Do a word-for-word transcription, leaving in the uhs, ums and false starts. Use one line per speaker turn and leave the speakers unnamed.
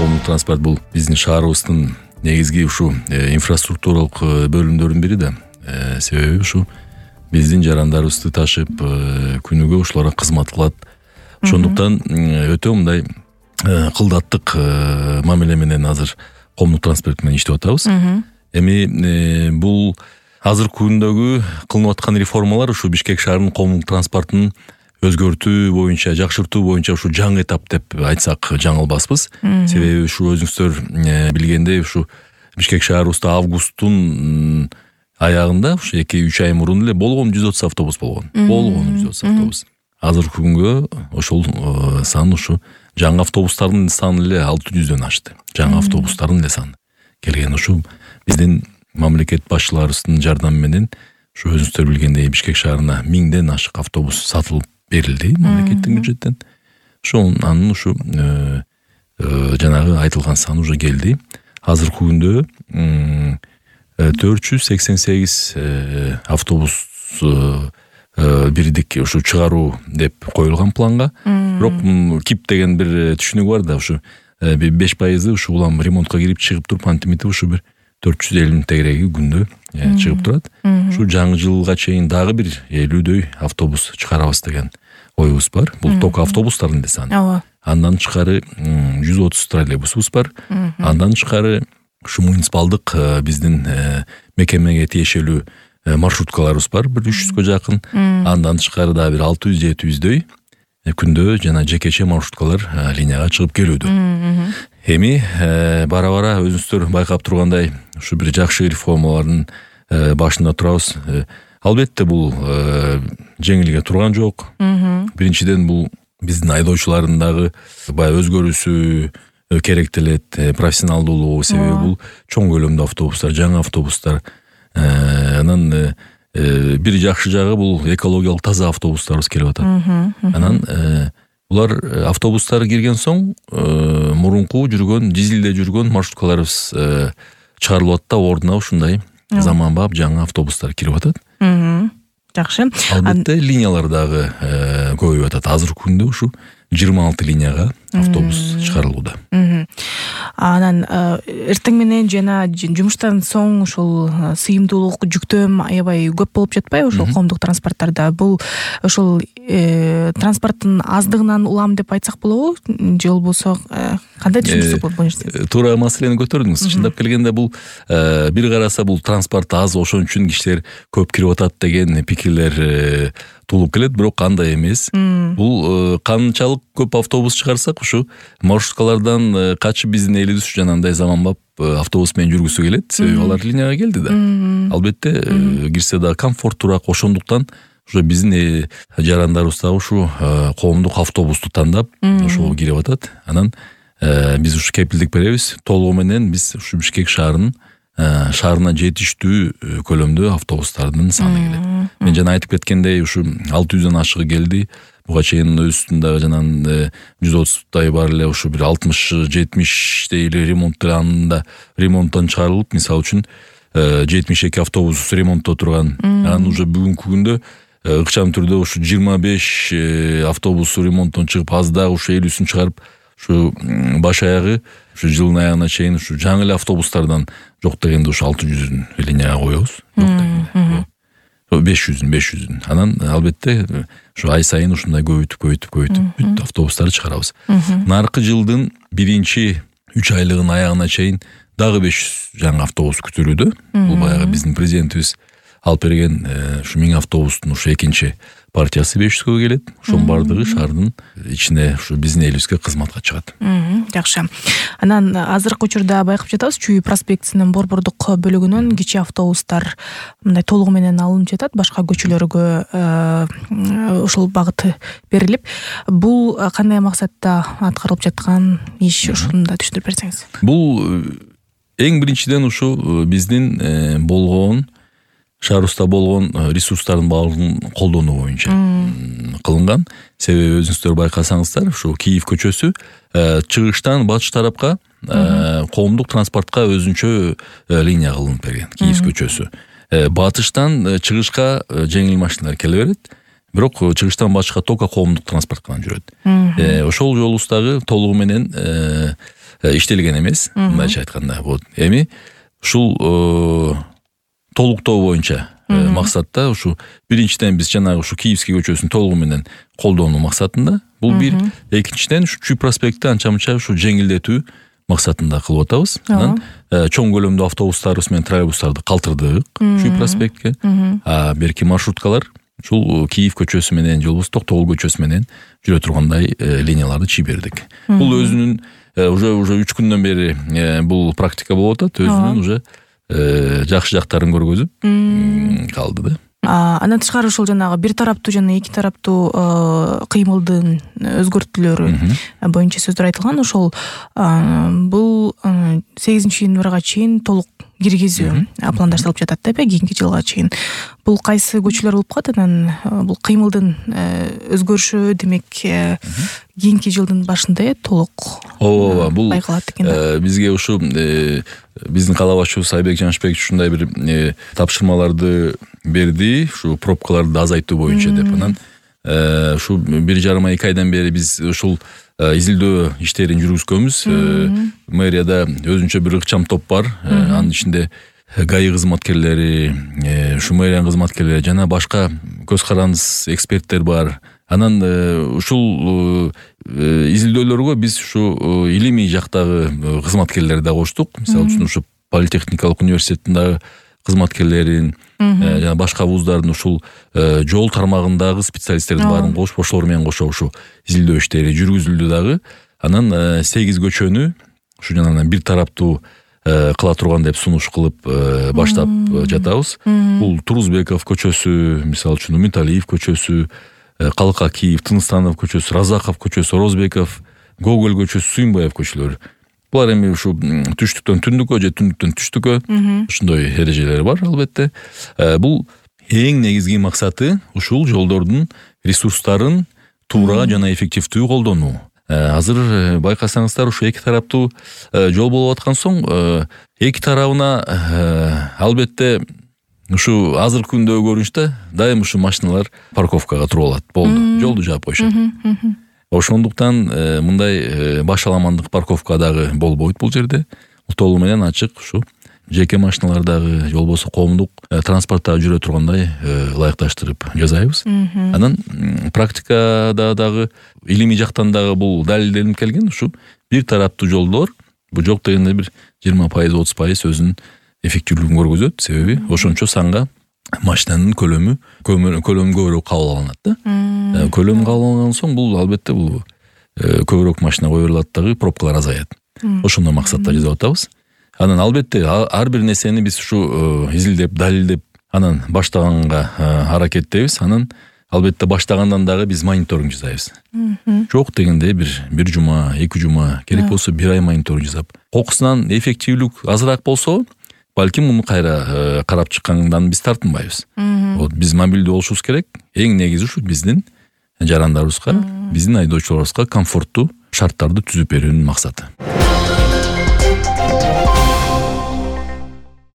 коомдук транспорт бул биздин шаарыбыздын негизги ушу инфраструктуралык бөлүмдөрүнүн бири да. Себеби ушу биздин жарандарыбызды ташып күнүгө ушуларга кызмат кылат. Ошондуктан өтө мындай кылдаттык мамиле менен азыр коомдук транспорт менен иштеп атабыз. Эми бул азыркы күндөгү кылынып аткан реформалар ушу Бишкек шаарынын коомдук транспортун өзгөртүү боюнча, жакшыртуу боюнча ушу жаңы этап деп айтсак жаңылбаспыз. Себеби ушу өзүңүздөр билгендей ушу Бишкек шаарыбызда августтун аягында ушу эки үч ай мурун эле болгон жүз отуз автобус болгон. Болгон жүз отуз автобус. Азыркы күнгө ошол сан ушу жаңы автобустардын саны эле алты жүздөн ашты. Жаңы автобустардын эле саны келген. Ушу биздин мамлекет башчыларыбыздын жардамы менен ушу өзүңүздөр билгендей Бишкек шаарына миңден ашык автобус сатылып берилди мамлекеттин бюджеттен. Ошол анын ушу жанагы айтылган саны уже келди. Азыркы күндө төрт жүз сексен сегиз автобус бирдик ушу чыгаруу деп коюлган планга. Бирок КИП деген бир түшүнүк бар да, ушу беш пайызы ушу улам ремонтко кирип чыгып туруп антимети ушу бир төрт жүз элүү тегереги күндө чыгып турат. Ушу жаңы жылга чейин дагы бир элүүдөй автобус чыгарабыз деген оюбуз бар. Бул ток автобустардын да саны. Андан тышкары жүз отуз троллейбусубуз бар. Андан тышкары ушу муниципалдык биздин мекемеге тиешелүү маршруткаларыбыз бар, бир үч жүзгө жакын. Андан тышкары да бир алты жүз жети жүздөй күндө жана жекече маршруткалар линияга чыгып келүүдө. Эми бара-бара өзүңүздөр байкап тургандай ушу бир жакшы реформалардын башында турабыз. Албетте бул жеңилге турган жок. Биринчиден бул биздин айдоочулардын дагы баягы өзгөрүүсү керектелет, профессионалдуулугу. Себеби бул чоң көлөмдүү автобустар, жаңы автобустар. Анан бир жакшы жагы бул экологиялык таза автобустарыбыз келип атат. Анан булар автобустар кирген соң мурунку жүргөн, дизелде жүргөн маршруткаларыбыз чыгарылып атат да, ордуна ушундай заманбап жаңы автобустар кирип атат.
Жакшы.
Албетте линиялар дагы көбөйүп атат. Азыркы күндө ушу жыйырма алты линияга автобус чыгарылууда.
Анан эртең менен жана жумуштан соң ушул сыйымдуулук, жүктөм аябай көп болуп жатпайбы ошол коомдук транспорттарда? Бул ошол транспорттун аздыгынан улам деп айтсак болобу? Же болбосо кандай түшүнүк болот?
Туура маселени көтөрдүңүз. Чындап келгенде бул бир караса бул транспорт аз, ошон үчүн кишилер көп кирип атат деген пикирлер туулуп келет, бирок андай эмес. Бул канчалык көп автобус чыгарсак ушу маршруткалардан качып биздин элибиз жанагындай заманбап автобус менен жүргүсү келет. Себеби алар линияга келди да. Албетте кирсе да комфорттуураак. Ошондуктан ушу биздин жарандарыбыз дагы ушу коомдук автобусту тандап ошого кирип атат. Анан биз ушу кепилдик беребиз. Толугу менен биз ушу Бишкек шаарынын шаарына жетиштүү көлөмдө автобустардын саны келет. Мен жана айтып кеткендей ушу алты жүздөн ашыгы келди. Буга чейин өстүн дагы жанагы жүз отуздай бар эле ушу бир алтымыш жетимиштей эле ремонттанында ремонттон чыгарылып, мисалы үчүн жетимиш эки автобус ремонтто турган. Анан уже бүгүнкү күндө ыкчам түрдө ушу жыйырма беш автобус ремонттон чыгып, аз дагы ушу элүүсүн чыгарып, ушу баш аягы ушу жылдын аягына чейин ушу жаңы эле автобустардан жок дегенде ушу алты жүздүн линияга коебуз. Жок дегенде беш жүздүн беш жүздүн. Анан албетте ушу ай сайын ушундай көбөйтүп көбөйтүп көбөйтүп бүт автобустарды чыгарабыз. Наркы жылдын биринчи үч айлыгынын аягына чейин дагы беш жүз жаңы автобус күтүлүүдө. Бул баягы биздин президентибиз алып берген ушу миң автобустун ушу экинчи партиясы беш жүзгө келет. Ошонун бардыгы шаардын ичине ушу биздин элибизге кызматка чыгат.
Жакшы. Анан азыркы учурда байкап жатабыз, Чүй проспектисинин борбордук бөлүгүнөн кичи автобустар мындай толугу менен алынып жатат, башка көчөлөргө ушул багыт берилип. Бул кандай максатта аткарылып жаткан иш, ушуну да түшүндүрүп берсеңиз.
Бул эң биринчиден ушу биздин болгон шаарыбызда болгон ресурстардын баардыгын колдонуу боюнча кылынган. Себеби өзүңүздөр байкасаңыздар, ушу Киев көчөсү чыгыштан батыш тарапка коомдук транспортко өзүнчө линия кылынып берген. Киев көчөсү. Батыштан чыгышка жеңил машиналар келе берет. бирок чыгыштан башка только коомдук транспорт гана жүрөт. Ошол жолубуз дагы толугу менен иштелген эмес, мындайча айтканда. Вот эми ушул толуктоо боюнча максатта ушу биринчиден биз жанагы ушу Киевский көчөсүн толугу менен колдонуу максатында, бул бир. Экинчиден ушу Чүй проспектти анча мынча ушу жеңилдетүү максатында кылып атабыз. Анан чоң көлөмдүү автобустарыбыз менен троллейбустарды калтырдык Чүй проспектке. А берки маршруткалар ушул Киев көчөсү менен же болбосо Токтогул көчөсү менен жүрө тургандай линияларды чийбердик. Бул өзүнүн уже уже үч күндөн бери бул практика болуп атат. Өзүнүн уже жакшы жактарын көргөзүп калды да.
Андан тышкары ушул жанагы бир тараптуу жана эки тараптуу кыймылдын өзгөртүүлөрү боюнча сөздөр айтылган. Ошол бул сегизинчи январга чейин толук киргизүү пландаштырылып жатат да, кийинки жылга чейин. Бул кайсы көчөлөр болуп калат? Анан бул кыймылдын өзгөрүшү демек кийинки жылдын башында толук
ооба бул
байкалат экен да.
Бизге ушу биздин кала башчыбыз Айбек Жанышбекович ушундай бир тапшырмаларды берди, ушу пробкаларды азайтуу боюнча деп. Анан ушу бир жарым эки айдан бери биз ушул изилдөө иштерин жүргүзгөнбүз. Мэрияда өзүнчө бир ыкчам топ бар. Анын ичинде ГАИ кызматкерлери, ушу мэриянын кызматкерлери жана башка көз карандыс эксперттер бар. Анан ушул изилдөөлөргө биз ушу илимий жактагы кызматкерлерди да коштук. Мисалы үчүн ушу политехникалык университеттин дагы кызматкерлерин, жана башка вуздардын ушул жол тармагындагы специалисттердин баарын кошуп, ошолор менен кошо ушу изилдөө иштери жүргүзүлдү дагы. Анан сегиз көчөнү ушу жанагы бир тараптуу кыла турган деп сунуш кылып баштап жатабыз. Бул Турузбеков көчөсү, мисалы үчүн Умиталиев көчөсү, Калка Киев, Тыныстанов көчөсү, Разаков көчөсү, Розбеков, Гоголь көчөсү, Сүйүнбаев көчөлөрү. Булар эми ушу түштүктөн түндүккө же түндүктөн түштүккө ушундай эрежелери бар албетте. Бул эң негизги максаты ушул жолдордун ресурстарын туура жана эффективдүү колдонуу. Азыр байкасаңыздар ушу эки тараптуу жол болуп аткан соң эки тарабына албетте ушу азыркы күндөгү көрүнүштө дайым ушу машиналар парковкага туруп алат. Болду, жолду жаап коюшат. Ошондуктан мындай башаламандык парковка дагы болбойт бул жерде. Толугу менен ачык ушу жеке машиналар дагы, же болбосо коомдук транспортта жүрө тургандай ылайыкташтырып жасайбыз. Анан практикада дагы илимий жактан дагы бул далилденип келген. Ушу бир тараптуу жолдор бул жок дегенде бир жыйырма пайыз отуз пайыз өзүнүн эффективдүүлүгүн көргөзөт. Себеби ошончо санга машинанын көлөмү көлөмү көбүрөөк кабыл алынат да. Көлөм кабыл алынган соң бул албетте бул көбүрөөк машина кое берилет дагы, пробкалар азаят. Ошондой максатта жасап атабыз. Анан албетте ар бир нерсени биз ушу изилдеп, далилдеп, анан баштаганга аракеттебиз. Анан албетте баштагандан дагы биз мониторинг жасайбыз. Жок дегенде бир бир жума, эки жума, керек болсо бир ай мониторинг жасап, кокусунан эффективдүүлүк азыраак болсо, балким муну кайра карап чыккандан биз тартынбайбыз. Вот биз мобилдүү болушубуз керек. Эң негизи ушу биздин жарандарыбызга, биздин айдоочуларыбызга комфорттуу шарттарды түзүп берүүнүн максаты.